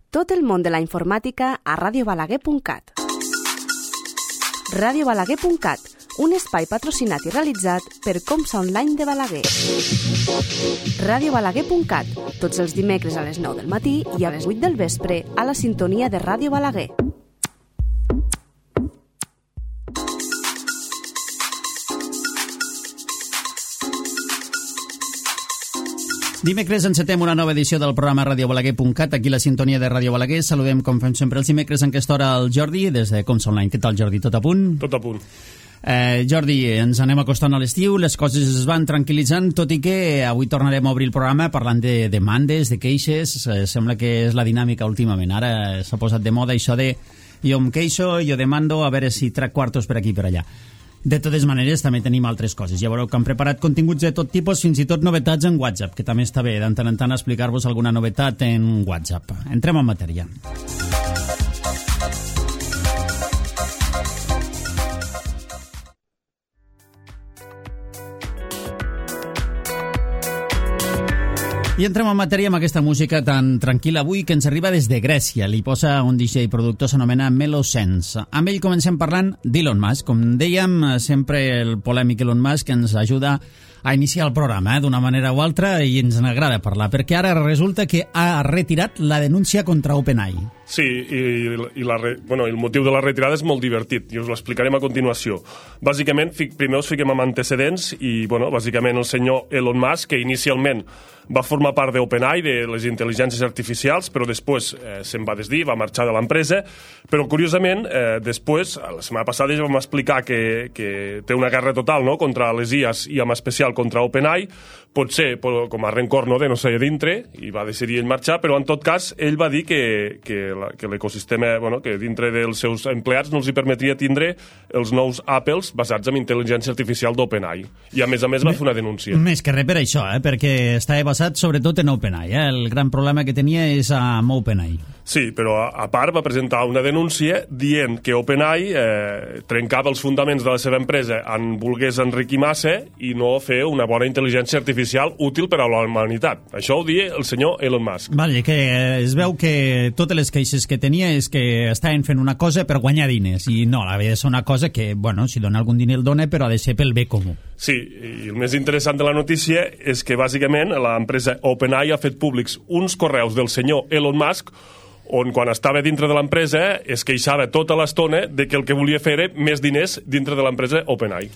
Tot el món de la informàtica a radiobalaguer.cat. radiobalaguer.cat, un espai patrocinat i realitzat per Comsa Online de Balaguer. radiobalaguer.cat, tots els dimecres a les 9 del matí i a les 8 del vespre a la sintonia de Ràdio Balaguer. Dimecres encetem una nova edició del programa radiobalaguer.cat, aquí la sintonia de Ràdio Balaguer. Saludem, com fem sempre, els dimecres en aquesta hora el Jordi, des de Comsa Online. Què tal, Jordi? Tot a punt? Tot a punt. Jordi, ens anem acostant a l'estiu, les coses es van tranquil·litzant, tot i que avui tornarem a obrir el programa parlant de demandes, de queixes. Sembla que és la dinàmica últimament. Ara s'ha posat de moda això de jo em queixo, jo demando, a veure si trec quartos per aquí i per allà. De totes maneres, també tenim altres coses. Ja veureu que han preparat continguts de tot tipus, fins i tot novetats en WhatsApp, que també està bé, de tant en tant, explicar-vos alguna novetat en WhatsApp. Entrem en matèria. I entrem en matèria amb aquesta música tan tranquil·la avui que ens arriba des de Grècia. Li posa un DJ i productor, s'anomena Melosense. Amb ell comencem parlant d'Elon Musk. Com dèiem, sempre el polèmic Elon Musk ens ajuda a iniciar el programa d'una manera o altra i ens n'agrada parlar, perquè ara resulta que ha retirat la denúncia contra OpenAI. Sí, i el motiu de la retirada és molt divertit i us l'explicarem a continuació. Bàsicament, primer us fiquem amb antecedents i, bàsicament el senyor Elon Musk, que inicialment va formar part d'OpenAI, de les intel·ligències artificials, però després se'n va desdir, va marxar de l'empresa, però curiosament, després, la setmana passada ja vam explicar que té una guerra total, no?, contra les IAs i en especial contra OpenAI, potser com a rencor de no ser dintre, i va decidir ell marxar, però en tot cas ell va dir que l'ecosistema, que dintre dels seus empleats no els hi permetria tindre els nous Apples basats en intel·ligència artificial d'OpenAI. I a més va fer una denúncia. Més que res per això, perquè estava basat sobretot en OpenAI. El gran problema que tenia és amb OpenAI. Sí, però a part va presentar una denúncia dient que OpenAI trencava els fonaments de la seva empresa en volgués enriquir massa i no fer una bona intel·ligència artificial útil per a la humanitat. Això ho dia el senyor Elon Musk. Vale, que es veu que totes les queixes que tenia és que estaven fent una cosa per guanyar diners i no, havia de ser una cosa que, si dona algun diner el dona, però ha de ser pel bé comú. Sí, i el més interessant de la notícia és que bàsicament l'empresa OpenAI ha fet públics uns correus del senyor Elon Musk on quan estava dintre de l'empresa es queixava tota l'estona de que el que volia fer era més diners dintre de l'empresa OpenAI.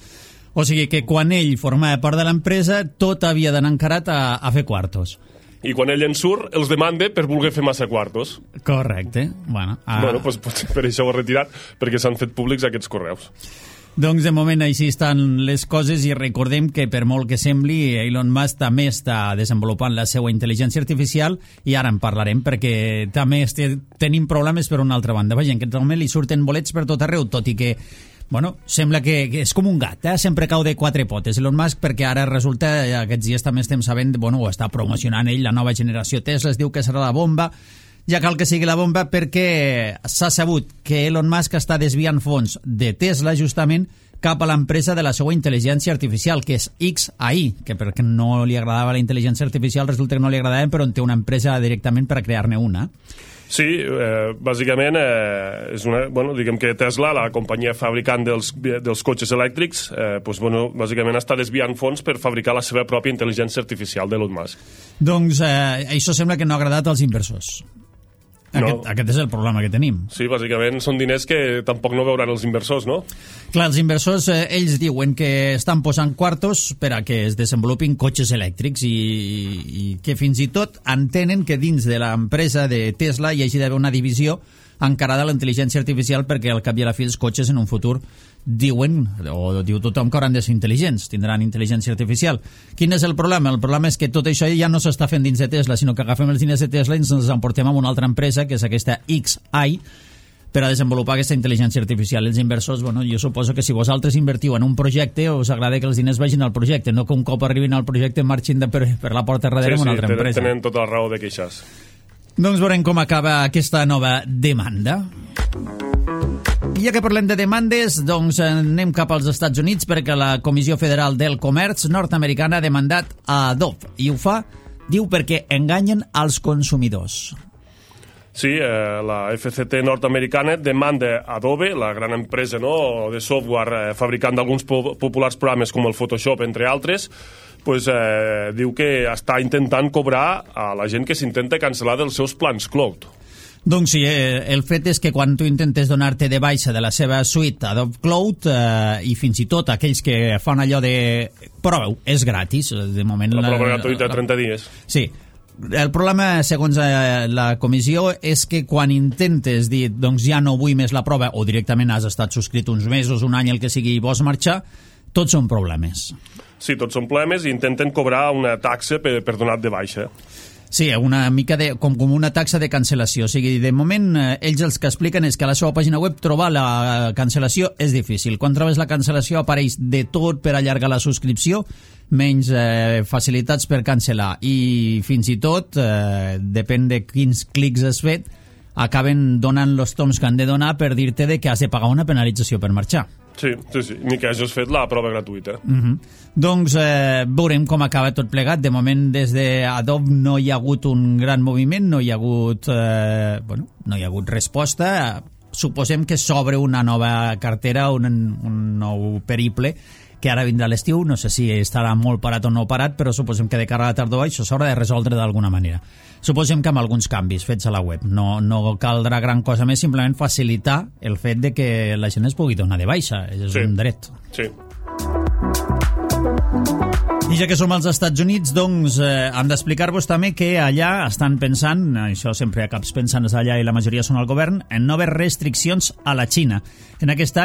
O sigui que quan ell formava part de l'empresa tot havia d'anar encarat a fer quartos. I quan ell en surt, els demanda per voler fer massa quartos. Correcte. Doncs potser per això ho ha retirat, perquè s'han fet públics aquests correus. Doncs de moment així estan les coses i recordem que per molt que sembli Elon Musk també està desenvolupant la seva intel·ligència artificial i ara en parlarem perquè també tenim problemes per una altra banda. Vaja, en aquest moment li surten bolets per tot arreu, tot i que sembla que és com un gat, sempre cau de quatre potes Elon Musk, perquè ara resulta, aquests dies també estem sabent, ho està promocionant ell, la nova generació Tesla, es diu que serà la bomba. Ja cal que sigui la bomba perquè s'ha sabut que Elon Musk està desviant fons de Tesla justament cap a l'empresa de la seva intel·ligència artificial, que és xAI, que perquè no li agradava la intel·ligència artificial resulta que no li agradava, però en té una empresa directament per a crear-ne una. Sí, bàsicament és diguem que Tesla, la companyia fabricant dels cotxes elèctrics, bàsicament està desviant fons per fabricar la seva pròpia intel·ligència artificial d'Elon Musk. Doncs això sembla que no ha agradat als inversors. Aquest és el problema que tenim. Sí, bàsicament són diners que tampoc no veuran els inversors, no? Clar, els inversors, ells diuen que estan posant quartos per a que es desenvolupin cotxes elèctrics i que fins i tot entenen que dins de l'empresa de Tesla hi hagi d'haver una divisió encarada a la intel·ligència artificial perquè al cap i a la fi els cotxes en un futur diu tothom que hauran de ser intel·ligents, tindran intel·ligència artificial. Quin és el problema? El problema és que tot això ja no s'està fent dins de Tesla, sinó que agafem els diners de Tesla i ens els emportem a una altra empresa, que és aquesta xAI, per a desenvolupar aquesta intel·ligència artificial. Els inversors, jo suposo que si vosaltres invertiu en un projecte, us agrada que els diners vagin al projecte, no que un cop arribin al projecte marxin per la porta darrere amb una altra empresa. Sí, tenen tota la raó de queixar-se. Doncs veurem com acaba aquesta nova demanda. Ja que parlem de demandes, doncs anem cap als Estats Units perquè la Comissió Federal del Comerç nord-americana ha demandat a Adobe i ho fa, diu, perquè enganyen als consumidors. Sí, la FCC nord-americana demanda Adobe, la gran empresa de software fabricant d'alguns populars programes com el Photoshop, entre altres, diu que està intentant cobrar a la gent que s'intenta cancel·lar dels seus plans cloud. Doncs sí, el fet és que quan tu intentes donar-te de baixa de la seva suite Adobe Cloud i fins i tot aquells que fan allò de proveu, és gratis, de moment... La prova gratuïta de 30 dies. Sí. El problema, segons la comissió, és que quan intentes dir doncs ja no vull més la prova o directament has estat subscrit uns mesos, un any, el que sigui, i vols marxar, tots són problemes. Sí, tots són problemes i intenten cobrar una taxa per donar de baixa. Sí, una mica com una taxa de cancel·lació. O sigui, de moment, ells els que expliquen és que a la seva pàgina web trobar la cancel·lació és difícil. Quan trobes la cancel·lació apareix de tot per allargar la subscripció, menys facilitats per cancel·lar. I fins i tot, depèn de quins clics has fet, acaben donant els toms que han de donar per dir-te que has de pagar una penalització per marxar. Sí, ni que hagis fet la prova gratuïta. Doncs veurem com acaba tot plegat. De moment, des d'Adobe no hi ha hagut un gran moviment, no hi ha hagut, no hi ha hagut resposta. Suposem que s'obre una nova cartera, un nou periple, que ara vindrà l'estiu, no sé si estarà molt parat o no parat, però suposem que de cara a la tardor això s'haurà de resoldre d'alguna manera. Suposem que amb alguns canvis fets a la web. No caldrà gran cosa més, simplement facilitar el fet de que la gent es pugui donar de baixa. És un dret. Sí. I ja que som als Estats Units, doncs hem d'explicar-vos també que allà estan pensant, això sempre acabes pensant allà i la majoria són al govern, en noves restriccions a la Xina. En aquest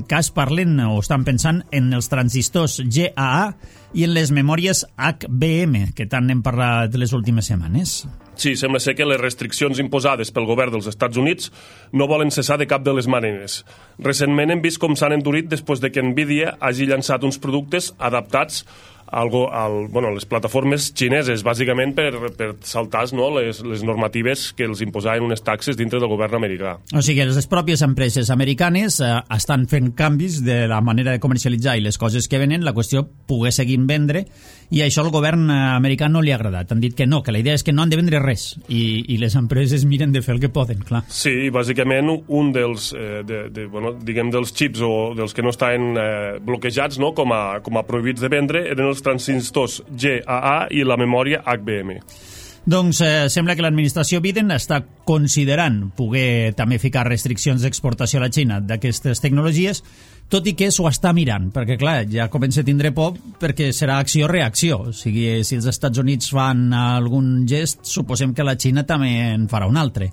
cas parlen o estan pensant en els transistors GAA i en les memòries HBM, que tant n'hem parlat les últimes setmanes. Sí, sembla ser que les restriccions imposades pel govern dels Estats Units no volen cessar de cap de les maneres. Recentment hem vist com s'han endurit després de que Nvidia hagi llançat uns productes adaptats a les plataformes xineses, bàsicament per saltar les normatives que els imposaven unes taxes dintre del govern americà. O sigui, les pròpies empreses americanes estan fent canvis de la manera de comercialitzar i les coses que venen, la qüestió poder seguir vendre, i això al govern americà no li ha agradat. Han dit que no, que la idea és que no han de vendre res, i les empreses miren de fer el que poden, clar. Sí, bàsicament un dels dels xips o dels que no estaven bloquejats com a prohibits de vendre eren els transistors GAA i la memòria HBM. Doncs sembla que l'administració Biden està considerant poder també ficar restriccions d'exportació a la Xina d'aquestes tecnologies, tot i que s'ho està mirant, perquè clar, ja comença a tindre por perquè serà acció-reacció. O sigui, si els Estats Units fan algun gest, suposem que la Xina també en farà un altre.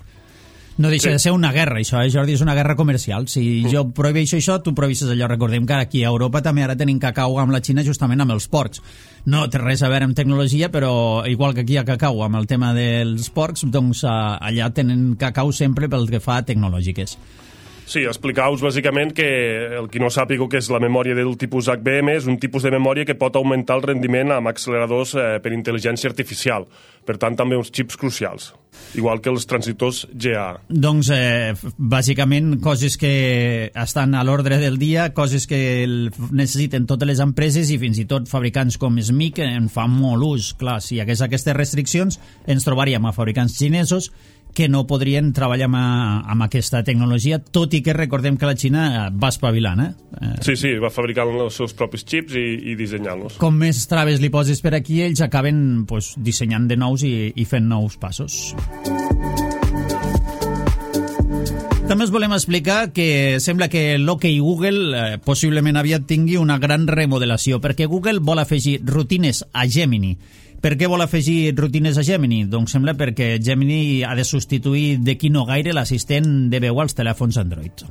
No deixa de ser una guerra, això, Jordi, és una guerra comercial. Si jo prohibeixo això, tu prohibeixes allò. Recordem que aquí a Europa també ara tenim cacau amb la Xina justament amb els porcs. No té res a veure amb tecnologia, però igual que aquí hi ha cacau amb el tema dels porcs, doncs allà tenen cacau sempre pel que fa a tecnològiques. Sí, explicar-vos bàsicament que el qui no sàpiga què és la memòria del tipus HBM és un tipus de memòria que pot augmentar el rendiment amb acceleradors per intel·ligència artificial. Per tant, també uns xips crucials, igual que els transistors GA. Doncs, bàsicament, coses que estan a l'ordre del dia, coses que necessiten totes les empreses i fins i tot fabricants com SMIC en fan molt ús. Clar, si hi hagués aquestes restriccions, ens trobaríem a fabricants xinesos que no podrien treballar amb aquesta tecnologia, tot i que recordem que la Xina va espavilant. Sí, va fabricant els seus propis xips i dissenyant-los. Com més traves li poses per aquí, ells acaben dissenyant de nous i fent nous passos. També us volem explicar que sembla que l'OK Google possiblement aviat tingui una gran remodelació, perquè Google vol afegir rutines a Gemini. Per què vol afegir rutines a Gemini? Doncs sembla perquè Gemini ha de substituir d'aquí no gaire l'assistent de veu als telèfons Android.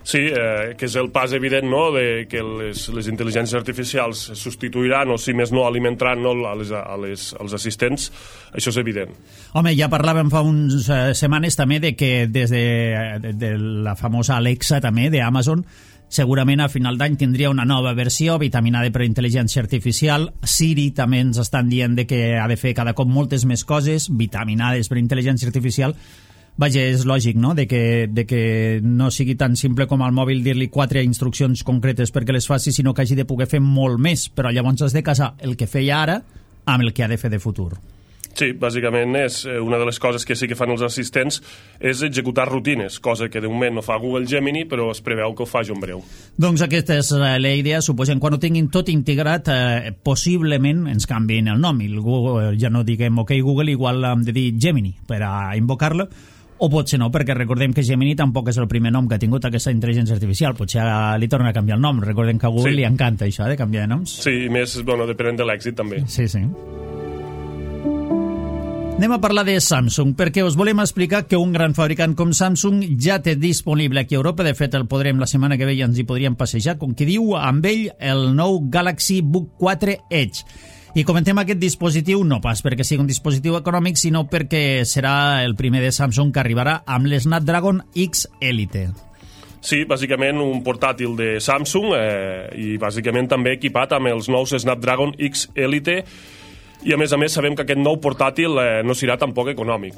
Sí, que és el pas evident, no?, de que les intel·ligències artificials substituiran o, si més no, alimentaran als assistents. Això és evident. Home, ja parlàvem fa unes setmanes també de que des de la famosa Alexa també d'Amazon segurament a final d'any tindria una nova versió vitaminada per intel·ligència artificial. Siri també ens estan dient que ha de fer cada cop moltes més coses vitaminades per intel·ligència artificial. Vaja, és lògic, no?, de que no sigui tan simple com al mòbil dir-li 4 instruccions concretes perquè les faci, sinó que hagi de poder fer molt més, però llavors has de casar el que feia ara amb el que ha de fer de futur. Sí, bàsicament és una de les coses que sí que fan els assistents és executar rutines, cosa que de moment no fa Google Gemini, però es preveu que ho faci en breu. Doncs aquesta és la idea, suposem, quan ho tinguin tot integrat, possiblement ens canvien el nom, i el Google, ja no diguem OK Google, igual hem de dir Gemini per a invocar-lo, o potser no, perquè recordem que Gemini tampoc és el primer nom que ha tingut aquesta intel·ligència artificial, potser li torna a canviar el nom, recordem que a Google li encanta això de canviar de noms. Sí, i més, depenent de l'èxit també. Sí. Anem a parlar de Samsung, perquè us volem explicar que un gran fabricant com Samsung ja té disponible aquí a Europa, de fet el podrem la setmana que ve i ens hi podríem passejar, com qui diu, amb ell el nou Galaxy Book 4 Edge. I comentem aquest dispositiu no pas perquè sigui un dispositiu econòmic, sinó perquè serà el primer de Samsung que arribarà amb l'Snapdragon X Elite. Sí, bàsicament un portàtil de Samsung i bàsicament també equipat amb els nous Snapdragon X Elite. I a més sabem que aquest nou portàtil no serà tampoc econòmic.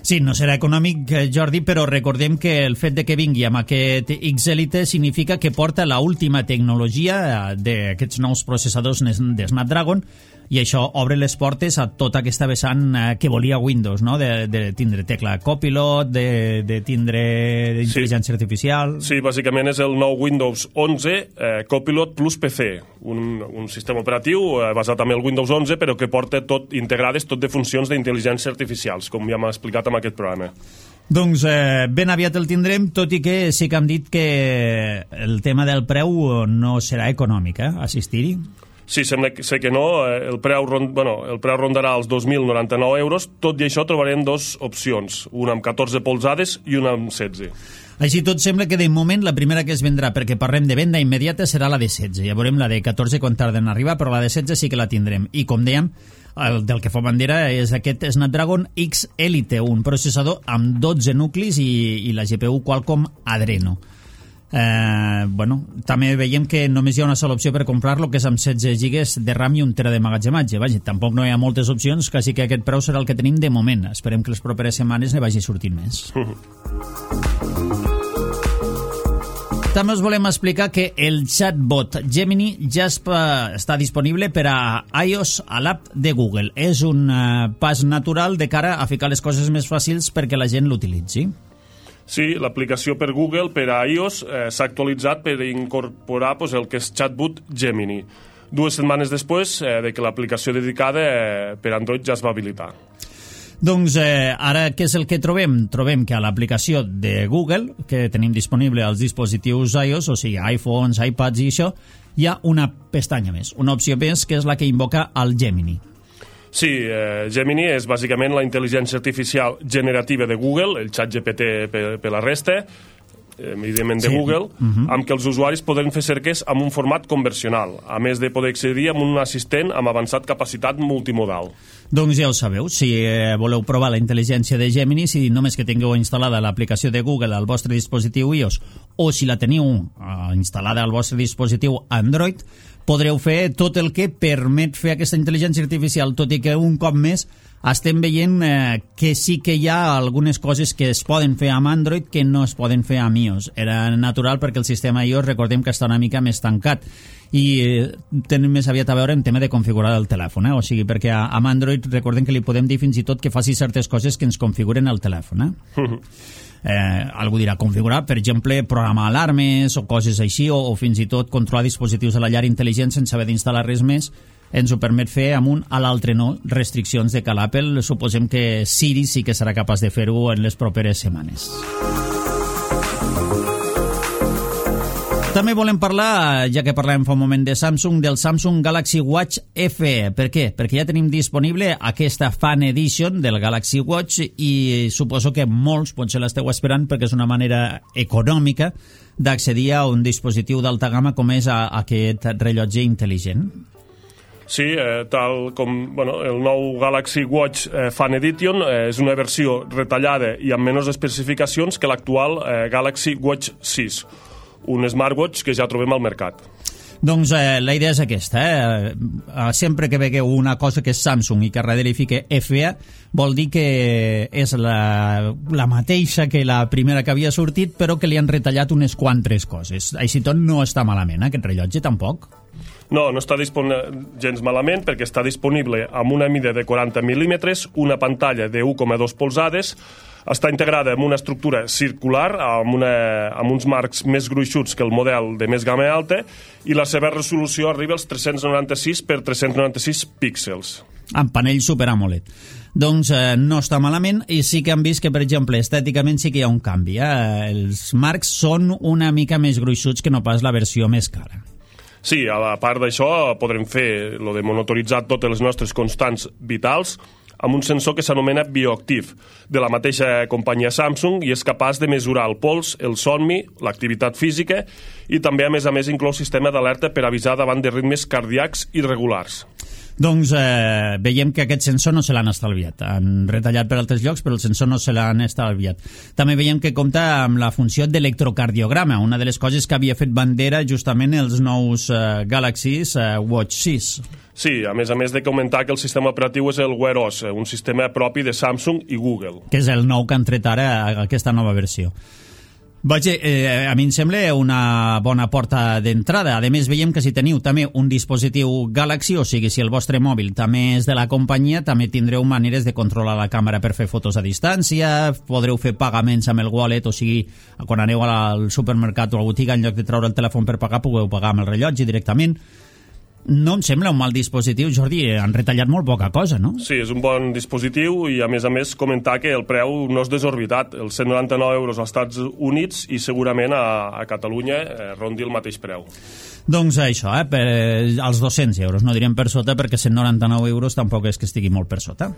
Sí, no serà econòmic, Jordi, però recordem que el fet de que vingui amb aquest X Elite significa que porta l'última tecnologia d'aquests nous processadors de Snapdragon, i això obre les portes a tota aquesta vessant que volia Windows, no? De tindre tecla Copilot, de tindre intel·ligència artificial... Sí, bàsicament és el nou Windows 11 Copilot plus PC, un sistema operatiu basat en el Windows 11, però que porta integrades tot de funcions d'intel·ligència artificials, com ja m'ha explicat en aquest programa. Doncs ben aviat el tindrem, tot i que sí que hem dit que el tema del preu no serà econòmic, assistir-hi. Sí, sembla que no. El preu rondarà els 2.099 euros. Tot i això trobarem dues opcions, una amb 14 polzades i una amb 16. Així tot sembla que de moment la primera que es vendrà, perquè parlem de venda immediata, serà la de 16. Ja veurem la de 14 quan tarden a arribar, però la de 16 sí que la tindrem. I com dèiem, del que fa bandera és aquest Snapdragon X Elite, un processador amb 12 nuclis i la GPU Qualcomm Adreno. També veiem que només hi ha una sola opció per comprar-lo, que és amb 16 GB de RAM i 1 TB de magatzematge. Vaja, tampoc no hi ha moltes opcions, quasi que aquest preu serà el que tenim de moment. Esperem que les properes setmanes ne vagi sortint més. També us volem explicar que el chatbot Gemini ja està disponible per a iOS a l'app de Google. És un pas natural de cara a ficar les coses més fàcils perquè la gent l'utilitzi. Sí, l'aplicació per Google, per a iOS, s'ha actualitzat per incorporar el que és Chatbot Gemini. 2 setmanes després de que l'aplicació dedicada per Android ja es va habilitar. Doncs ara què és el que trobem? Trobem que a l'aplicació de Google, que tenim disponible als dispositius iOS, o sigui, iPhones, iPads i això, hi ha una pestanya més, una opció més, que és la que invoca el Gemini. Sí, Gemini és bàsicament la intel·ligència artificial generativa de Google, el ChatGPT per la resta, evidentment de Google, amb què els usuaris podran fer cerques amb un format conversional, a més de poder accedir amb un assistent amb avançat capacitat multimodal. Doncs ja ho sabeu, si voleu provar la intel·ligència de Gemini, si només que tingueu instal·lada l'aplicació de Google al vostre dispositiu iOS, o si la teniu instal·lada al vostre dispositiu Android, podreu fer tot el que permet fer aquesta intel·ligència artificial, tot i que un cop més estem veient que sí que hi ha algunes coses que es poden fer amb Android que no es poden fer amb iOS. Era natural perquè el sistema iOS, recordem que està una mica més tancat i tenen més aviat a veure en tema de configurar el telèfon, o sigui, perquè amb Android recordem que li podem dir fins i tot que faci certes coses que ens configuren el telèfon. Algú dirà configurar, per exemple, programar alarmes o coses així, o fins i tot controlar dispositius de la llar intel·ligent sense haver d'instal·lar res més. Ens ho permet fer amb un a l'altre no, restriccions de cal Apple. Suposem que Siri sí que serà capaç de fer-ho en les properes setmanes. També volem parlar, ja que parlàvem fa un moment de Samsung, del Samsung Galaxy Watch FE. Per què? Perquè ja tenim disponible aquesta Fan Edition del Galaxy Watch i suposo que molts potser l'esteu esperant perquè és una manera econòmica d'accedir a un dispositiu d'alta gamma com és aquest rellotge intel·ligent. Sí, tal com el nou Galaxy Watch Fan Edition és una versió retallada i amb menys especificacions que l'actual Galaxy Watch 6, un smartwatch que ja trobem al mercat. Doncs la idea és aquesta. Sempre que vegueu una cosa que és Samsung i que darrere hi fica FE, vol dir que és la mateixa que la primera que havia sortit, però que li han retallat unes quantes coses. Així tot no està malament, aquest rellotge, tampoc. No està gens malament perquè està disponible amb una mida de 40 mil·límetres, una pantalla de 1,2 polzades, està integrada amb una estructura circular, amb uns marcs més gruixuts que el model de més gamma alta, i la seva resolució arriba als 396 per 396 píxels. Amb panell Super AMOLED. Doncs no està malament, i sí que han vist que, per exemple, estèticament sí que hi ha un canvi. Els marcs són una mica més gruixuts que no pas la versió més cara. Sí, a part d'això podrem fer lo de monitoritzar totes les nostres constants vitals amb un sensor que s'anomena bioactiv, de la mateixa companyia Samsung, i és capaç de mesurar el pols, el somni, l'activitat física, i també, a més, inclou sistema d'alerta per avisar davant de ritmes cardíacs irregulars. Doncs veiem que aquest sensor no se l'han estalviat. Han retallat per altres llocs, però el sensor no se l'han estalviat. També veiem que compta amb la funció d'electrocardiograma, una de les coses que havia fet bandera justament els nous Galaxy Watch 6. Sí, a més de comentar que el sistema operatiu és el Wear OS, un sistema propi de Samsung i Google. Que és el nou que han tret ara, aquesta nova versió. Vaja, a mi em sembla una bona porta d'entrada. A més, veiem que si teniu també un dispositiu Galaxy, o sigui, si el vostre mòbil també és de la companyia, també tindreu maneres de controlar la càmera per fer fotos a distància, podreu fer pagaments amb el wallet, o sigui, quan aneu al supermercat o a la botiga, en lloc de treure el telèfon per pagar, podeu pagar amb el rellotge directament. No em sembla un mal dispositiu, Jordi, han retallat molt poca cosa, no? Sí, és un bon dispositiu i, a més, comentar que el preu no és desorbitat, els 199 euros als Estats Units, i segurament a Catalunya rondi el mateix preu. Doncs això, per als 200 euros, no direm per sota, perquè 199 euros tampoc és que estigui molt per sota.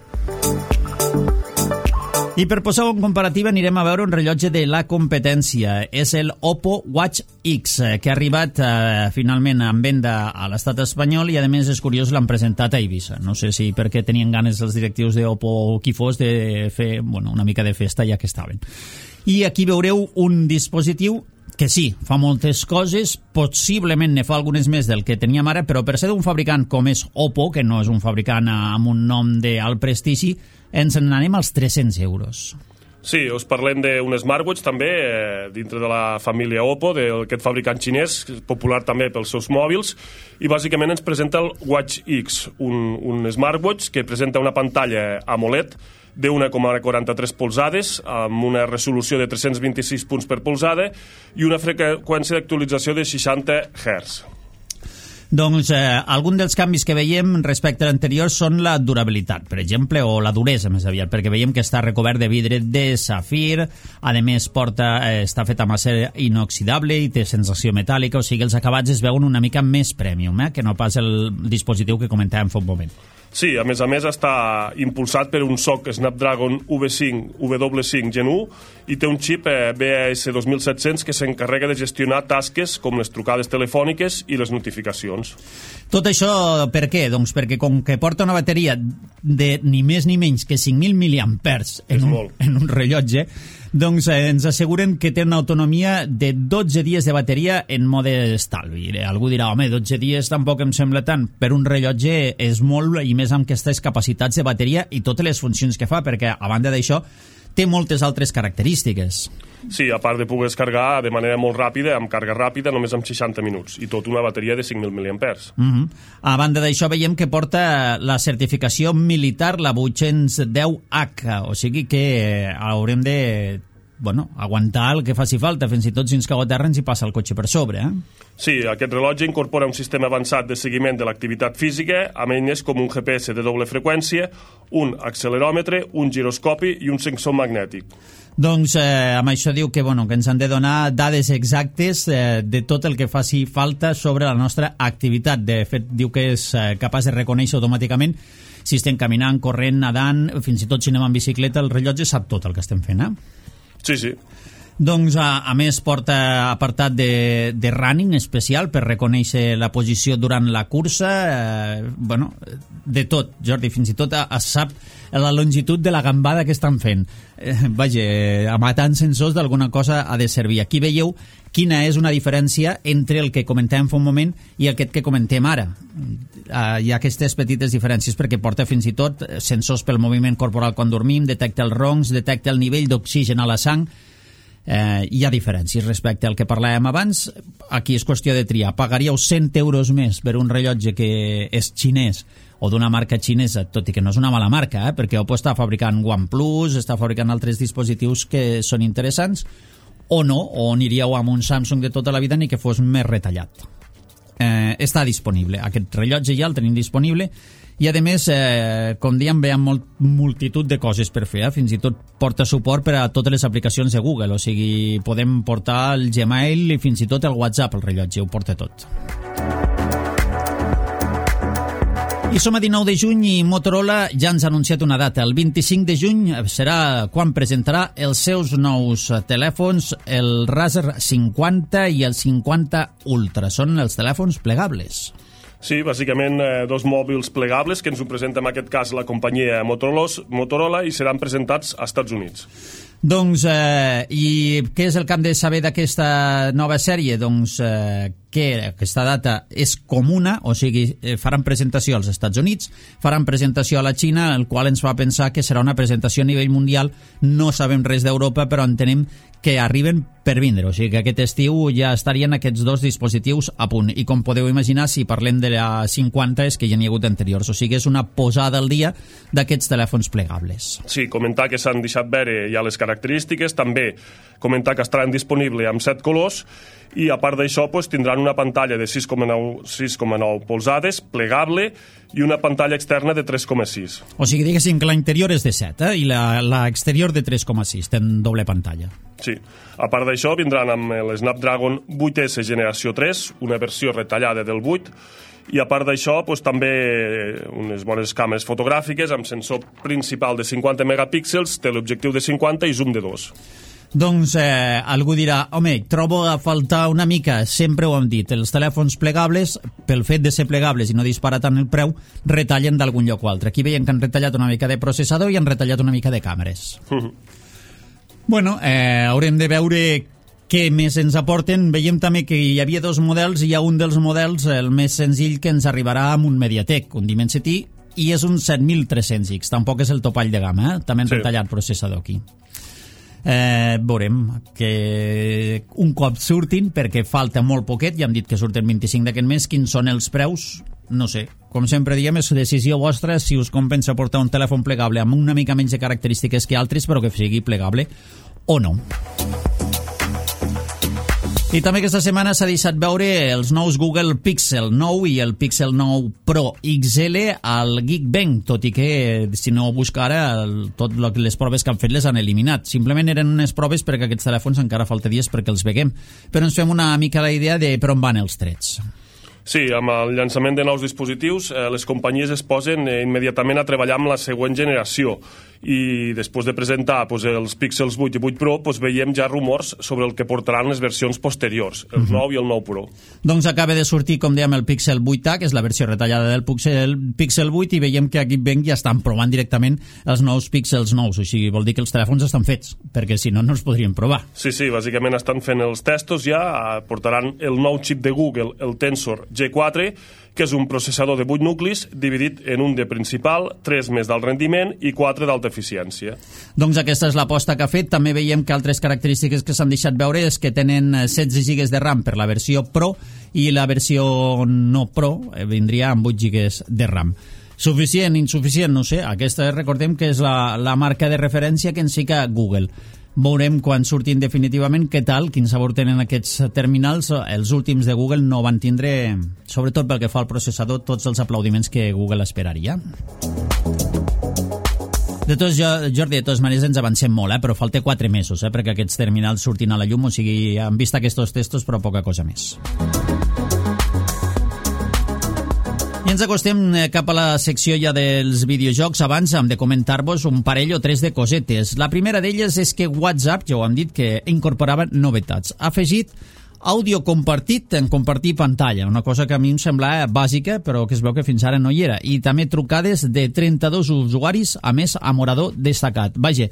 I per posar-ho en comparativa anirem a veure un rellotge de la competència. És el Oppo Watch X, que ha arribat finalment en venda a l'estat espanyol, i a més és curiós, l'han presentat a Eivissa. No sé si perquè tenien ganes els directius d'Oppo o qui fos de fer una mica de festa ja que estaven. I aquí veureu un dispositiu que sí, fa moltes coses, possiblement ne fa algunes més del que teníem ara, però per ser d'un fabricant com és Oppo, que no és un fabricant amb un nom d'alt prestigi, ens n'anem als 300 euros. Sí, us parlem d'un smartwatch també, dintre de la família Oppo, d'aquest fabricant xinès, popular també pels seus mòbils, i bàsicament ens presenta el Watch X, un smartwatch que presenta una pantalla AMOLED de 1,43 polzades, amb una resolució de 326 punts per polzada i una freqüència d'actualització de 60 Hz. Doncs algun dels canvis que veiem respecte a l'anterior són la durabilitat, per exemple, o la duresa més aviat, perquè veiem que està recobert de vidre de safir, a més està fet amb acer inoxidable i té sensació metàl·lica, o sigui, els acabats es veuen una mica més premium, que no pas el dispositiu que comentàvem fa un moment. Sí, a més està impulsat per un SoC Snapdragon W5 Gen 1 i té un xip BAS 2700 que s'encarrega de gestionar tasques com les trucades telefòniques i les notificacions. Tot això per què? Doncs perquè com que porta una bateria de ni més ni menys que 5.000 mAh en un rellotge, doncs ens asseguren que té una autonomia de 12 dies de bateria en mode estalvi. Algú dirà, home, 12 dies tampoc em sembla tant. Per un rellotge és molt, i més amb aquestes capacitats de bateria i totes les funcions que fa, perquè a banda d'això té moltes altres característiques. Sí, a part de poder descarregar de manera molt ràpida, amb càrrega ràpida, només amb 60 minuts, i tot una bateria de 5.000 mAh. A banda d'això, veiem que porta la certificació militar, la 810H, o sigui que haurem de aguantar el que faci falta, fins i tot si ens cau a terra ens hi passa el cotxe per sobre. Sí, aquest rellotge incorpora un sistema avançat de seguiment de l'activitat física, amb eines com un GPS de doble freqüència, un acceleròmetre, un giroscopi i un sensor magnètic. Doncs amb això diu que ens han de donar dades exactes de tot el que faci falta sobre la nostra activitat. De fet, diu que és capaç de reconèixer automàticament si estem caminant, corrent, nedant, fins i tot si anem en bicicleta, el rellotge sap tot el que estem fent, Sí, sí. Doncs, a més, porta apartat de running especial per reconèixer la posició durant la cursa, de tot, Jordi, fins i tot es sap la longitud de la gambada que estan fent. Vaja, amb tants sensors d'alguna cosa ha de servir. Aquí veieu quina és una diferència entre el que comentàvem fa un moment i aquest que comentem ara. Hi ha aquestes petites diferències perquè porta fins i tot sensors pel moviment corporal quan dormim, detecta els roncs, detecta el nivell d'oxigen a la sang. Hi ha diferències respecte al que parlàvem abans. Aquí és qüestió de triar. Pagaríeu 100 euros més per un rellotge que és xinès o d'una marca xinesa, tot i que no és una mala marca, perquè Oppo està fabricant OnePlus, està fabricant altres dispositius que són interessants, o no, o aniríeu amb un Samsung de tota la vida ni que fos més retallat. Està disponible. Aquest rellotge ja el tenim disponible i, a més, com dèiem, veiem multitud de coses per fer. Fins i tot porta suport per a totes les aplicacions de Google, o sigui, podem portar el Gmail i fins i tot el WhatsApp, el rellotge, ho porta tot. I som a 19 de juny i Motorola ja ens ha anunciat una data. El 25 de juny serà quan presentarà els seus nous telèfons, el Razer 50 i el 50 Ultra. Són els telèfons plegables. Sí, bàsicament dos mòbils plegables que ens ho presenta en aquest cas la companyia Motorola i seran presentats als Estats Units. Doncs, i què és el que hem de saber d'aquesta nova sèrie? Doncs que aquesta data és comuna, o sigui, faran presentació als Estats Units, faran presentació a la Xina, el qual ens fa pensar que serà una presentació a nivell mundial. No sabem res d'Europa, però entenem que arriben per vindre, o sigui que aquest estiu ja estarien aquests dos dispositius a punt. I com podeu imaginar, si parlem de la 50 és que ja n'hi ha hagut anteriors, o sigui és una posada al dia d'aquests telèfons plegables. Sí, comentar que s'han deixat veure ja les característiques, també comentar que estaran disponibles amb 7 colors i a part d'això tindran una pantalla de 6,9 polzades, plegable, i una pantalla externa de 3,6. O sigui, diguéssim que l'interior és de 7 i l'exterior de 3,6, ten doble pantalla. Sí. A part d'això vindran amb el Snapdragon 8S generació 3, una versió retallada del 8, i a part d'això també unes bones càmeres fotogràfiques amb sensor principal de 50 megapíxels, teleobjectiu de 50 i zoom de 2. Doncs algú dirà, home, trobo a faltar una mica, sempre ho hem dit, els telèfons plegables, pel fet de ser plegables i no disparar tant el preu, retallen d'algun lloc o altre. Aquí veiem que han retallat una mica de processador i han retallat una mica de càmeres. Bueno, haurem de veure què més ens aporten. Veiem també que hi havia dos models i hi ha un dels models, el més senzill, que ens arribarà amb un MediaTek, un Dimensity, i és un 7300X, tampoc és el topall de gamma, també han retallat processador aquí. Veurem que un cop surtin, perquè falta molt poquet, ja hem dit que surten 25 d'aquest mes, quins són els preus, no sé. Com sempre diem, és decisió vostra si us compensa portar un telèfon plegable amb una mica menys de característiques que altres, però que sigui plegable o no. I també aquesta setmana s'ha deixat veure els nous Google Pixel 9 i el Pixel 9 Pro XL al Geekbench, tot i que, si no ho busca ara, tot les proves que han fet les han eliminat. Simplement eren unes proves perquè aquests telèfons encara falta dies perquè els veguem. Però ens fem una mica la idea de per on van els trets. Sí, amb el llançament de nous dispositius, les companyies es posen immediatament a treballar amb la següent generació i després de presentar els Pixels 8 i 8 Pro veiem ja rumors sobre el que portaran les versions posteriors, el 9 i el 9 Pro. Doncs acaba de sortir, com dèiem, el Pixel 8a, que és la versió retallada del Pixel 8, i veiem que aquí ja estan provant directament els nous Pixels nous, o sigui, vol dir que els telèfons estan fets, perquè si no, no els podrien provar. Sí, bàsicament estan fent els testos ja, portaran el nou xip de Google, el Tensor G4, que és un processador de 8 nuclis dividit en un de principal, 3 més d'alt rendiment i 4 d'alta eficiència. Doncs aquesta és l'aposta que ha fet. També veiem que altres característiques que s'han deixat veure és que tenen 16 GB de RAM per la versió Pro i la versió no Pro vindria amb 8 GB de RAM. Suficient, insuficient, no sé. Aquesta recordem que és la marca de referència que ens fica Google. Veurem quan surtin definitivament què tal, quin sabor tenen aquests terminals. Els últims de Google no van tindre, sobretot pel que fa al processador, tots els aplaudiments que Google esperaria. Jordi, de totes maneres ens avancem molt, però falta 4 mesos perquè aquests terminals surtin a la llum, o sigui, han vist aquests testos, però poca cosa més. I ens acostem cap a la secció ja dels videojocs. Abans hem de comentar-vos un parell o 3 de cosetes. La primera d'elles és que WhatsApp, ja ho hem dit, que incorporava novetats. Ha afegit àudio compartit en compartir pantalla, una cosa que a mi em sembla bàsica, però que es veu que fins ara no hi era. I també trucades de 32 usuaris, a més amb orador destacat. Vaja,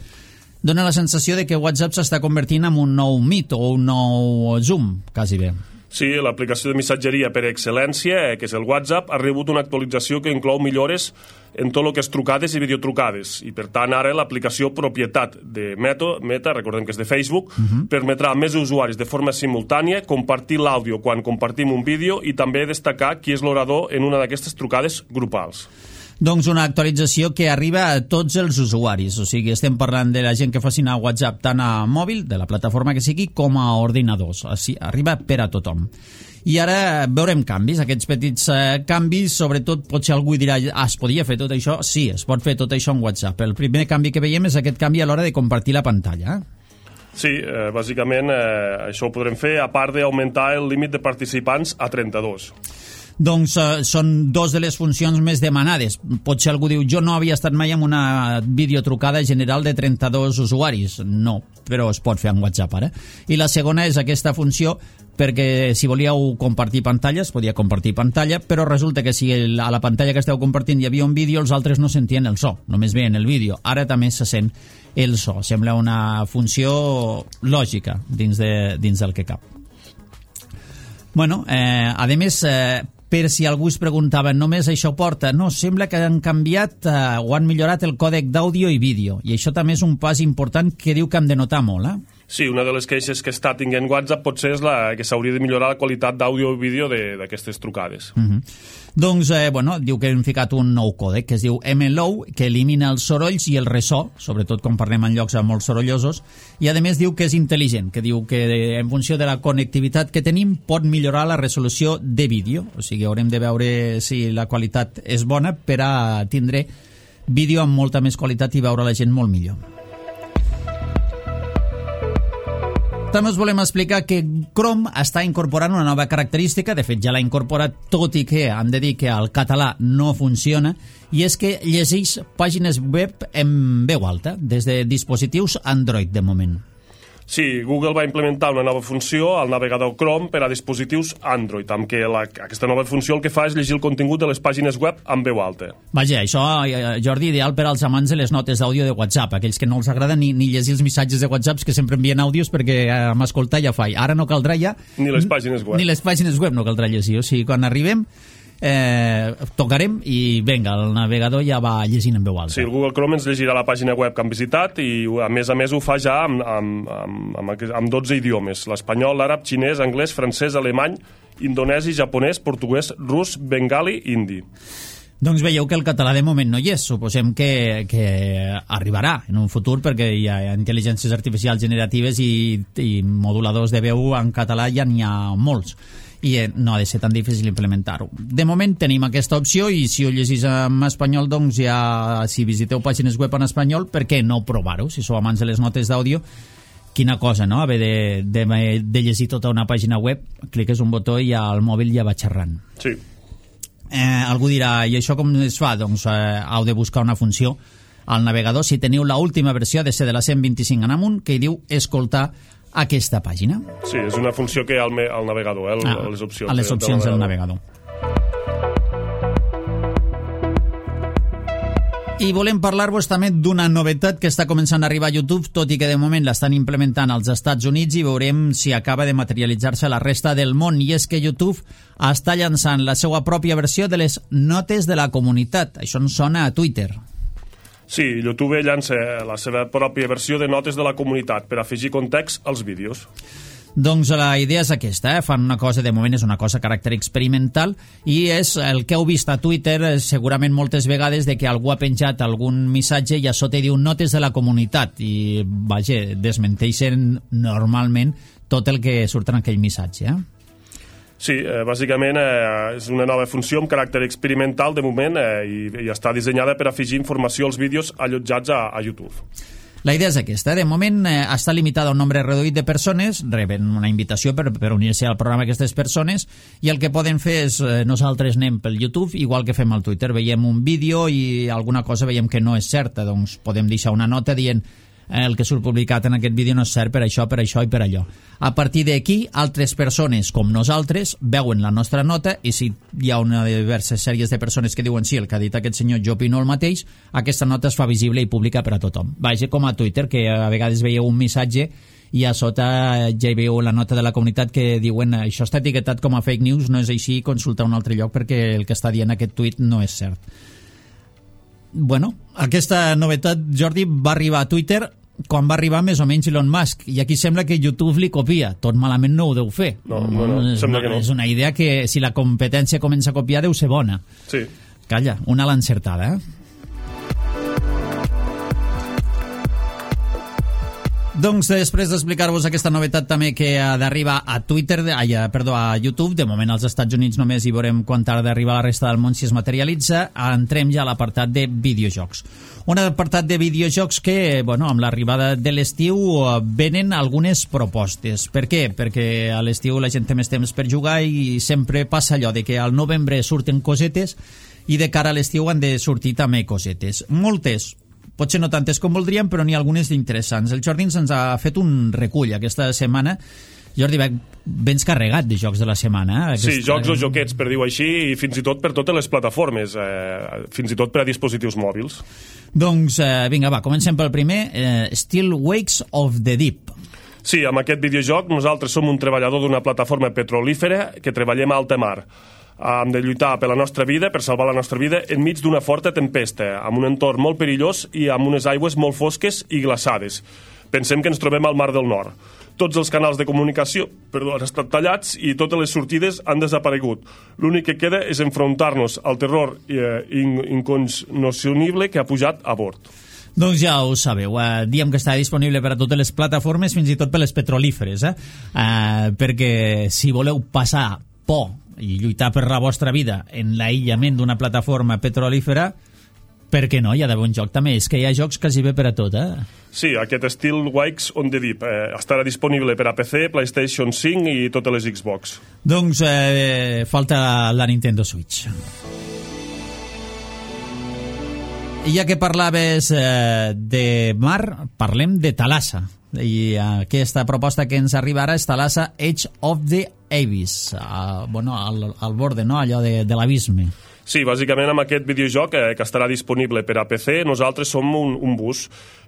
dona la sensació de que WhatsApp s'està convertint en un nou Meet o un nou Zoom, quasi bé. Sí, l'aplicació de missatgeria per excel·lència, que és el WhatsApp, ha rebut una actualització que inclou millores en tot el que és trucades i videotrucades. I, per tant, ara l'aplicació propietat de Meta, recordem que és de Facebook, permetrà a més usuaris de forma simultània compartir l'àudio quan compartim un vídeo i també destacar qui és l'orador en una d'aquestes trucades grupals. Doncs una actualització que arriba a tots els usuaris, o sigui, estem parlant de la gent que facin a WhatsApp tant a mòbil, de la plataforma que sigui, com a ordinadors. Així, arriba per a tothom. I ara veurem canvis, aquests petits canvis, sobretot potser algú dirà, es podia fer tot això? Sí, es pot fer tot això en WhatsApp. El primer canvi que veiem és aquest canvi a l'hora de compartir la pantalla. Sí, bàsicament això ho podrem fer, a part d'augmentar el límit de participants a 32. Doncs són dos de les funcions més demanades. Potser algú diu, jo no havia estat mai en una videotrucada general de 32 usuaris. No, però es pot fer en WhatsApp ara. I la segona és aquesta funció perquè si volíeu compartir pantalla, es podia compartir pantalla, però resulta que si a la pantalla que esteu compartint hi havia un vídeo, els altres no sentien el so, només veien el vídeo. Ara també se sent el so. Sembla una funció lògica dins del que cap. Bueno, a més, per si algú es preguntava, només això porta? No, sembla que han canviat o han millorat el còdec d'àudio i vídeo, i això també és un pas important que diu que hem de notar molt, Sí, una de les queixes que està tinguent WhatsApp potser és que s'hauria de millorar la qualitat d'àudio i vídeo d'aquestes trucades. Doncs, diu que hem ficat un nou còdec que es diu MLOW, que elimina els sorolls i el ressò, sobretot quan parlem en llocs molt sorollosos, i a més diu que és intel·ligent, que diu que en funció de la connectivitat que tenim pot millorar la resolució de vídeo, o sigui, haurem de veure si la qualitat és bona per a tindre vídeo amb molta més qualitat i veure la gent molt millor. També us volem explicar que Chrome està incorporant una nova característica, de fet ja l'ha incorporat, tot i que han de dir que el català no funciona, i és que llegeix pàgines web en veu alta, des de dispositius Android de moment. Sí, Google va implementar una nova funció al navegador Chrome per a dispositius Android, amb què aquesta nova funció el que fa és llegir el contingut de les pàgines web en veu alta. Vaja, això, Jordi, ideal per als amants de les notes d'àudio de WhatsApp, aquells que no els agrada ni llegir els missatges de WhatsApp que sempre envien àudios perquè amb escoltar ja fa. Ara no caldrà ja... Ni les pàgines web. Ni les pàgines web no caldrà llegir, o sigui, quan arribem tocarem i venga, el navegador ja va llegint en veu alta. Sí, el Google Chrome ens llegirà la pàgina web que han visitat i a més ho fa ja amb 12 idiomes: l'espanyol, l'àrab, xinès, anglès, francès, alemany, indonesi, japonès, portuguès, rus, bengali, hindi. Doncs veieu que el català de moment no hi és. Suposem que arribarà en un futur perquè hi ha intel·ligències artificials generatives i moduladors de veu en català ja n'hi ha molts i no ha de ser tan difícil implementar-ho. De moment tenim aquesta opció i si ho llegís en espanyol, doncs ja, si visiteu pàgines web en espanyol, per què no provar-ho? Si sou amants de les notes d'àudio, quina cosa, no? Haver de llegir tota una pàgina web, cliques un botó i el mòbil ja va xerrant. Sí. Algú dirà, i això com es fa? Doncs heu de buscar una funció al navegador. Si teniu l'última versió, ha de ser de la 125 en amunt, que hi diu escoltar aquesta pàgina. Sí, és una funció que hi ha al navegador, les opcions. A les opcions del navegador. I volem parlar-vos també d'una novetat que està començant a arribar a YouTube, tot i que de moment l'estan implementant als Estats Units i veurem si acaba de materialitzar-se a la resta del món. I és que YouTube està llançant la seva pròpia versió de les notes de la comunitat. Això ens sona a Twitter. Sí, YouTube llança la seva pròpia versió de notes de la comunitat per afegir context als vídeos. Doncs la idea és aquesta, fan una cosa, de moment és una cosa a caràcter experimental, i és el que heu vist a Twitter segurament moltes vegades, de que algú ha penjat algun missatge i a sota diu notes de la comunitat, i vaja, desmenteixen normalment tot el que surt en aquell missatge. Sí, bàsicament és una nova funció amb caràcter experimental de moment i està dissenyada per afegir informació als vídeos allotjats a YouTube. La idea és aquesta. De moment està limitada a un nombre reduït de persones, reben una invitació per unir-se al programa aquestes persones, i el que poden fer és, nosaltres anem pel YouTube, igual que fem al Twitter, veiem un vídeo i alguna cosa veiem que no és certa, doncs podem deixar una nota dient el que surt publicat en aquest vídeo no és cert per això i per allò. A partir d'aquí, altres persones com nosaltres veuen la nostra nota i si hi ha una de diverses sèries de persones que diuen sí, el que ha dit aquest senyor jo opino el mateix, aquesta nota es fa visible i pública per a tothom. Vaja, com a Twitter, que a vegades veieu un missatge i a sota ja hi veieu la nota de la comunitat que diuen això està etiquetat com a fake news, no és així, consulta un altre lloc perquè el que està dient aquest tuit no és cert. Bueno, aquesta novetat, Jordi, va arribar a Twitter quan va arribar més o menys Elon Musk, i aquí sembla que YouTube li copia. Tot malament no ho deu fer. No, sembla que no. És una idea que si la competència comença a copiar deu ser bona. Sí. Calla, una a l'encertada, Doncs després d'explicar-vos aquesta novetat també que ha d'arribar a a YouTube, de moment als Estats Units només hi veurem quan tarda d'arribar a la resta del món si es materialitza, entrem ja a l'apartat de videojocs. Un apartat de videojocs que, bueno, amb l'arribada de l'estiu venen algunes propostes. Per què? Perquè a l'estiu la gent té més temps per jugar i sempre passa allò de que al novembre surten cosetes i de cara a l'estiu han de sortir també cosetes. Moltes, potser no tantes com voldríem, però n'hi ha algunes interessants. El Jordi ens ha fet un recull aquesta setmana. Jordi, vens carregat de jocs de la setmana. Sí, jocs o joquets, per dir-ho així, i fins i tot per totes les plataformes, fins i tot per a dispositius mòbils. Doncs, vinga, va, comencem pel primer. Still Wakes of the Deep. Sí, amb aquest videojoc nosaltres som un treballador d'una plataforma petrolífera que treballem a alta mar. Hem de lluitar per la nostra vida, per salvar la nostra vida, enmig d'una forta tempesta, amb un entorn molt perillós i amb unes aigües molt fosques i glaçades. Pensem que ens trobem al Mar del Nord. Tots els canals de comunicació han estat tallats i totes les sortides han desaparegut. L'únic que queda és enfrontar-nos al terror incognoscible que ha pujat a bord. Doncs ja ho sabeu, diem que està disponible per a totes les plataformes, fins i tot per les petrolíferes, perquè si voleu passar por i lluitar per la vostra vida en l'aïllament d'una plataforma petrolífera, per què no? Hi ha d'haver un joc també. És que hi ha jocs quasi bé per a tot, Sí, aquest Still Wakes on the Deep estarà disponible per a PC, PlayStation 5 i totes les Xbox. Doncs falta la Nintendo Switch. I ja que parlaves de mar, parlem de Thalassa. I aquesta proposta que ens arriba ara és Thalassa Edge of the Abyss, al borde, no? Allò de l'abisme. Sí, bàsicament amb aquest videojoc que estarà disponible per a PC, nosaltres som un bus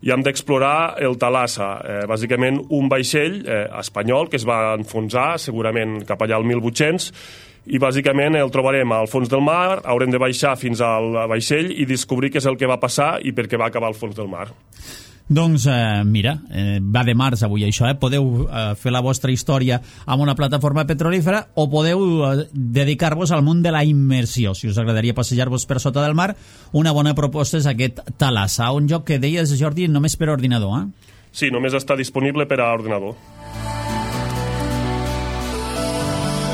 i hem d'explorar el Thalassa, bàsicament un vaixell espanyol que es va enfonsar segurament cap allà al 1800, i bàsicament el trobarem al fons del mar, haurem de baixar fins al vaixell i descobrir què és el que va passar i per què va acabar al fons del mar. Doncs mira, va de març avui això, podeu fer la vostra història amb una plataforma petrolífera o podeu dedicar-vos al món de la immersió. Si us agradaria passejar-vos per sota del mar, una bona proposta és aquest Thalassa, un joc que deies, Jordi, només per ordinador, Sí, només està disponible per a ordinador.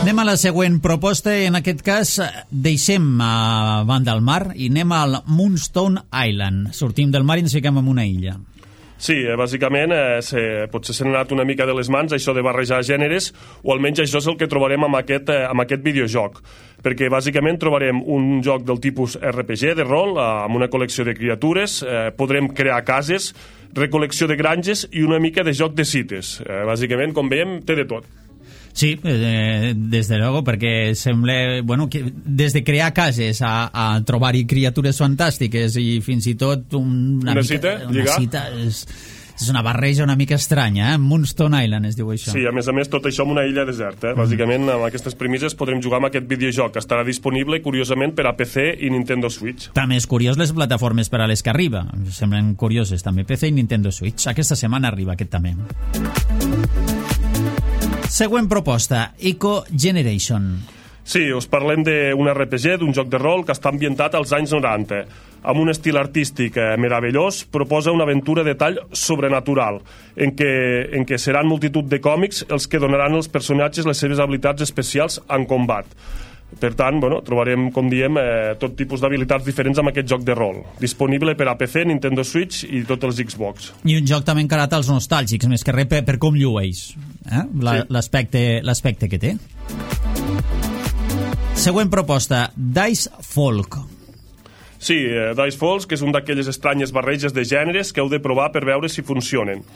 Anem a la següent proposta, en aquest cas deixem a banda del mar i anem al Moonstone Island. Sortim del mar i ens fiquem en una illa. Sí, bàsicament potser s'ha anat una mica de les mans això de barrejar gèneres, o almenys això és el que trobarem amb aquest videojoc, perquè bàsicament trobarem un joc del tipus RPG de rol, amb una col·lecció de criatures, podrem crear cases, recol·lecció de granges i una mica de joc de cites. Bàsicament, com veiem, té de tot. Sí, des de luego, perquè sembla, bueno, que des de crear cases a trobar-hi criatures fantàstiques i fins i tot una cita, és una barreja una mica estranya, Moonstone Island es diu això. Sí, a més, tot això en una illa deserta. Bàsicament, amb aquestes premisses podrem jugar amb aquest videojoc, que estarà disponible, curiosament, per a PC i Nintendo Switch. També és curiós les plataformes per a les que arriba. Semblen curioses, també PC i Nintendo Switch. Aquesta setmana arriba aquest també. Següent proposta, Eco Generation. Sí, us parlem d'un RPG, d'un joc de rol que està ambientat als anys 90. Amb un estil artístic meravellós, proposa una aventura de tall sobrenatural, en què seran multitud de còmics els que donaran als personatges les seves habilitats especials en combat. Per tant, trobarem, com diem, tot tipus d'habilitats diferents amb aquest joc de rol. Disponible per a PC, Nintendo Switch i tots els Xbox. I un joc també encarat als nostàlgics, més que res per com llueix, l'aspecte que té. Següent proposta, Dice Folk. Sí, Dice Folk, que és un d'aquelles estranyes barreges de gèneres que heu de provar per veure si funcionen.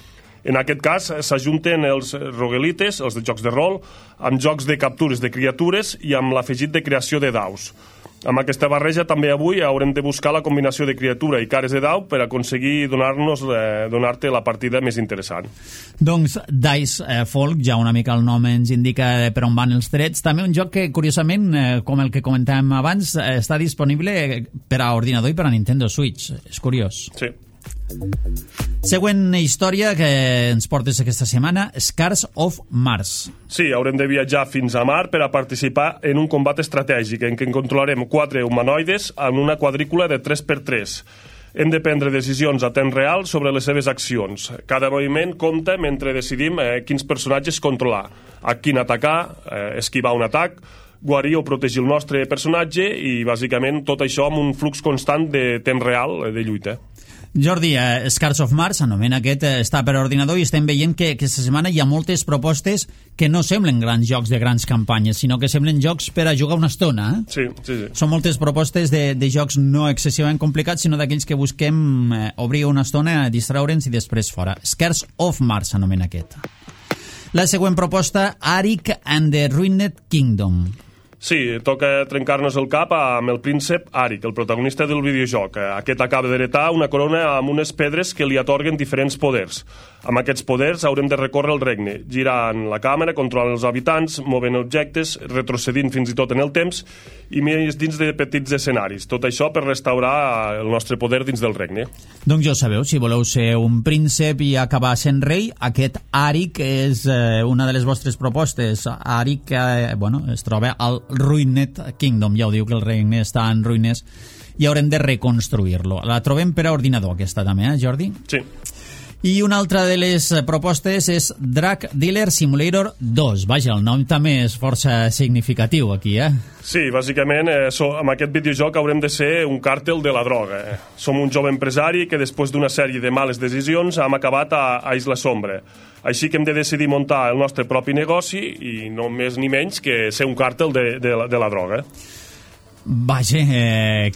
En aquest cas s'ajunten els roguelites, els de jocs de rol, amb jocs de captures de criatures i amb l'afegit de creació de daus. Amb aquesta barreja també avui haurem de buscar la combinació de criatura i cares de dau per aconseguir donar-te la partida més interessant. Doncs Dice Folk, ja una mica el nom ens indica per on van els trets. També un joc que, curiosament, com el que comentàvem abans, està disponible per a ordinador i per a Nintendo Switch. És curiós. Sí. Següent història que ens portes aquesta setmana, Scars of Mars. Sí, haurem de viatjar fins a Mar per a participar en un combat estratègic en què controlarem 4 humanoides en una quadrícula de 3x3. Hem de prendre decisions a temps real sobre les seves accions. Cada moviment compta mentre decidim quins personatges controlar, a quin atacar, esquivar un atac, guarir o protegir el nostre personatge i, bàsicament, tot això amb un flux constant de temps real de lluita. Jordi, Scars of Mars, anomena aquest, està per ordinador i estem veient que aquesta setmana hi ha moltes propostes que no semblen grans jocs de grans campanyes, sinó que semblen jocs per a jugar una estona. Sí. Són moltes propostes de jocs no excessivament complicats, sinó d'aquells que busquem obrir una estona, distraure'ns i després fora. Scars of Mars, anomena aquest. La següent proposta, Arik and the Ruined Kingdom. Sí, toca trencar-nos el cap amb el príncep Arik, el protagonista del videojoc. Aquest acaba d'heretar una corona amb unes pedres que li atorguen diferents poders. Amb aquests poders haurem de recórrer el regne, girant la càmera, controlant els habitants, movent objectes, retrocedint fins i tot en el temps i més dins de petits escenaris. Tot això per restaurar el nostre poder dins del regne. Doncs ja ho sabeu, si voleu ser un príncep i acabar sent rei, aquest Arik és una de les vostres propostes. Arik, es troba al Ruined Kingdom, ja ho diu que el regne està en ruïnes i haurem de reconstruir-lo. La trobem per a ordinador, aquesta també, Jordi? Sí. I una altra de les propostes és Drug Dealer Simulator 2. Vaja, el nom també és força significatiu aquí, Sí, bàsicament, amb aquest videojoc haurem de ser un càrtel de la droga. Som un jove empresari que després d'una sèrie de males decisions hem acabat a Isla Sombre. Així que hem de decidir muntar el nostre propi negoci i no més ni menys que ser un càrtel de la droga. Vaja,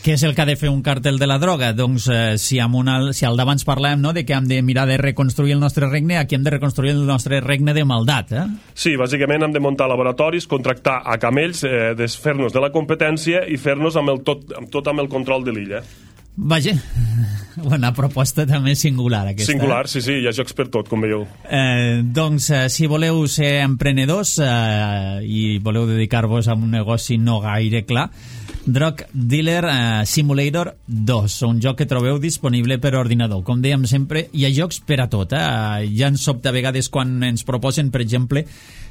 què és el que ha de fer un càrtel de la droga? Doncs si al d'abans parlàvem de que hem de mirar de reconstruir el nostre regne, aquí hem de reconstruir el nostre regne de maldat, Sí, bàsicament hem de muntar laboratoris, contractar a camells, desfer-nos de la competència i fer-nos amb tot amb el control de l'illa. Vaja, una proposta també singular aquesta. Singular, sí, hi ha jocs per tot, com veieu. Doncs si voleu ser emprenedors i voleu dedicar-vos a un negoci no gaire clar, Drug Dealer Simulator 2, un joc que trobeu disponible per ordinador. Com dèiem sempre, hi ha jocs per a tot. Ja ens sobta a vegades quan ens proposen, per exemple,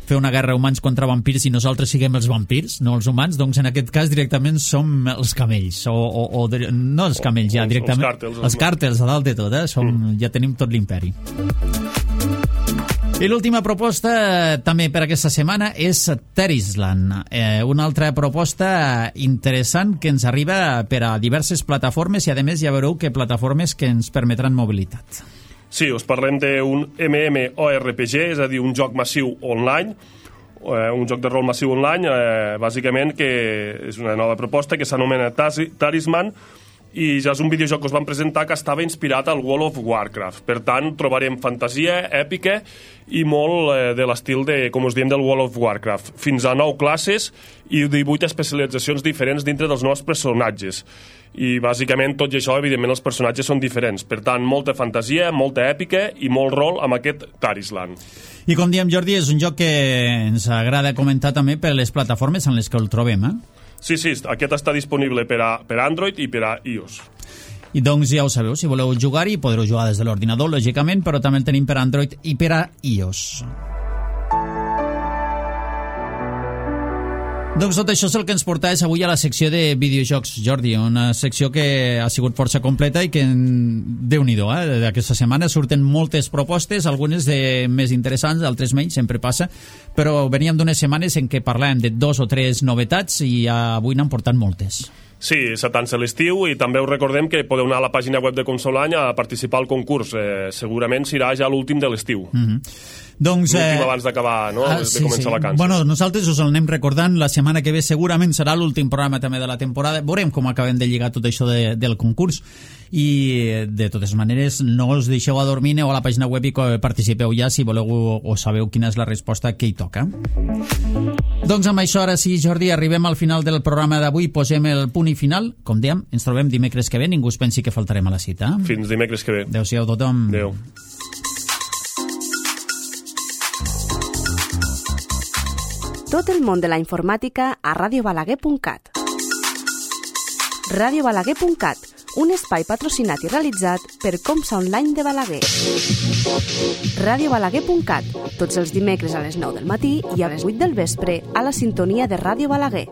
fer una guerra humans contra vampirs i nosaltres siguem els vampirs, no els humans. Doncs en aquest cas directament som els camells, no els camells, ja directament els càrtels a dalt de tot, ja tenim tot l'imperi. I l'última proposta també per aquesta setmana és Terisland, una altra proposta interessant que ens arriba per a diverses plataformes i a més ja veureu que plataformes que ens permetran mobilitat. Sí, us parlem d'un MMORPG, és a dir, un joc massiu online, un joc de rol massiu online, bàsicament que és una nova proposta que s'anomena Talisman, i ja és un videojoc que us vam presentar que estava inspirat al World of Warcraft. Per tant, trobarem fantasia èpica i molt de l'estil com us diem, del World of Warcraft. Fins a 9 classes i 18 especialitzacions diferents dintre dels nous personatges. I bàsicament tot i això, evidentment, els personatges són diferents. Per tant, molta fantasia, molta èpica i molt rol amb aquest Tarisland. I com diem, Jordi, és un joc que ens agrada comentar també per les plataformes en les que el trobem, Sí, aquest està disponible per a Android i per a iOS. I doncs ja ho sabeu, si voleu jugar-hi podreu jugar des de l'ordinador, lògicament, però també el tenim per a Android i per a iOS. Doncs tot això és el que ens portaves avui a la secció de videojocs, Jordi, una secció que ha sigut força completa i que, Déu-n'hi-do, d'aquesta setmana surten moltes propostes, algunes de més interessants, altres menys, sempre passa, però veníem d'unes setmanes en què parlàvem de 2 o 3 novetats i avui n'han portat moltes. Sí, s'atansa l'estiu i també us recordem que podeu anar a la pàgina web de Consolany a participar al concurs. Segurament serà ja l'últim de l'estiu. Doncs, l'últim abans d'acabar, no? De començar vacances. Bueno, nosaltres us el anem recordant. La setmana que ve segurament serà l'últim programa també de la temporada. Veurem com acabem de lligar tot això del concurs. I de totes maneres no us deixeu adormir, aneu a la pàgina web i participeu ja si voleu o sabeu quina és la resposta que hi toca. Doncs amb això, ara sí, Jordi, arribem al final del programa d'avui, posem el punt i final. Com dèiem, ens trobem dimecres que ve, ningú es pensi que faltarem a la cita. Fins dimecres que ve. Adéu-siau tothom. Adéu. Tot el món de la informàtica a radiobalaguer.cat. radiobalaguer.cat, un espai patrocinat i realitzat per Comsa Online de Balaguer. radiobalaguer.cat, tots els dimecres a les 9 del matí i a les 8 del vespre a la sintonia de Ràdio Balaguer.